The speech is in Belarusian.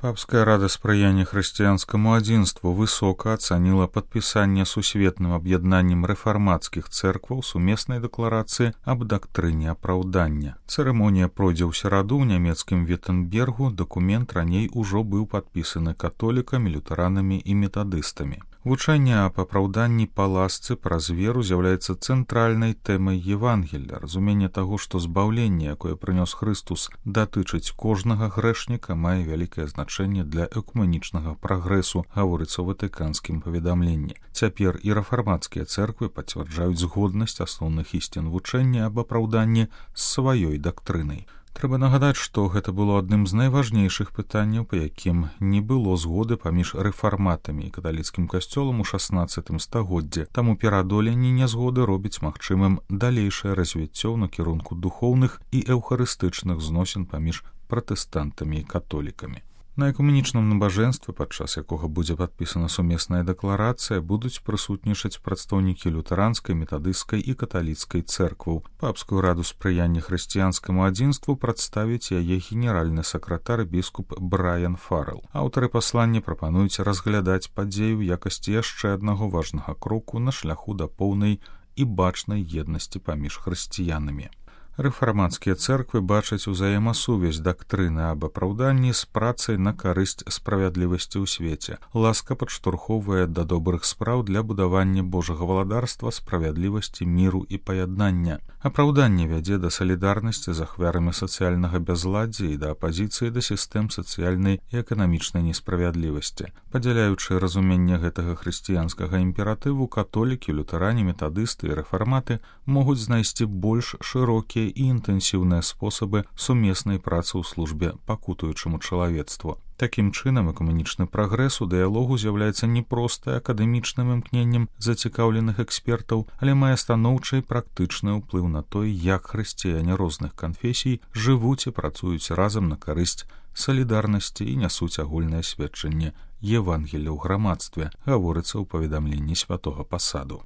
Папская рада спрыяння хрысціянскаму адзінству высока ацаніла падпісанне сусветным аб'яднаннем рэфармацкіх цэркваў сумеснай дэкларацыі аб дактрыне апраўдання. Цырымонія пройдзе ў сераду ў нямецкім Віттенбергу. Дакумент раней ужо быў падпісаны католікамі, лютэранамі і метадыстамі. Вучэнне аб апраўданні па ласцы праз веру з'яўляецца цэнтральнай тэмай Евангелля. Разуменне таго, што збаўленне, якое прынёс Хрыстус, датычыць кожнага грэшніка, мае вялікае значэнне для экуменічнага прагрэсу, гаворыцца ў ватыканскім паведамленні. Цяпер і рэфармацкія цэрквы пацвярджаюць згоднасць асноўных ісцін вучэння аб апраўданні з сваёй дактрынай. Трэба нагадаць, што гэта было адным з найважнейшых пытанняў, па якім не было згоды паміж рэфарматамі і каталіцкім касцёлам у 16 стагоддзі. Таму пераадоленне нязгоды робіць магчымым далейшае развіццё ў накірунку духоўных і эўхарыстычных зносін паміж пратэстантамі і католікамі. На экуменічным набажэнстве, падчас якога будзе падпісана сумесная дэкларацыя, будуць прысутнічаць прадстаўнікі лютэранскай, метадысцкай і каталіцкай цэркваў. Папскую раду спрыяння хрысціянскаму адзінству прадставіць яе генеральны сакратар біскуп Брайан Фаррэл. Аўтары паслання прапануюць разглядаць падзею ў якасці яшчэ аднаго важнага кроку на шляху да поўнай і бачнай еднасці паміж хрысціянамі. Рэфармацкія цэрквы бачаць узаемасувязь дактрыны аб апраўданні з працай на карысць справядлівасці ў свеце. Ласка падштурхоўвае да добрых спраў для будавання Божага валадарства, справядлівасці, міру і паяднання. Апраўданне вядзе да салідарнасці з ахвярамі сацыяльнага бязладдзя і да апазіцыі да сістэм сацыяльнай і эканамічнай несправядлівасці. Падзяляючы разуменне гэтага хрысціянскага імператыву, католікі, лютэрані, метадысты і рэфарматы могуць знайсці больш шырокія і інтэнсіўныя спосабы сумеснай працы ў службе пакутуючаму чалавецтву. Такім чынам, экуменічны прагрэс у дыялогу з'яўляецца не проста акадэмічным імкненнем зацікаўленых экспертаў, але мае станоўчы і практычны ўплыў на тое, як хрысціяне розных канфесій жывуць і працуюць разам на карысць салідарнасці і нясуць агульнае сведчанне Евангелля ў грамадстве, гаворыцца ў паведамленні святога пасаду.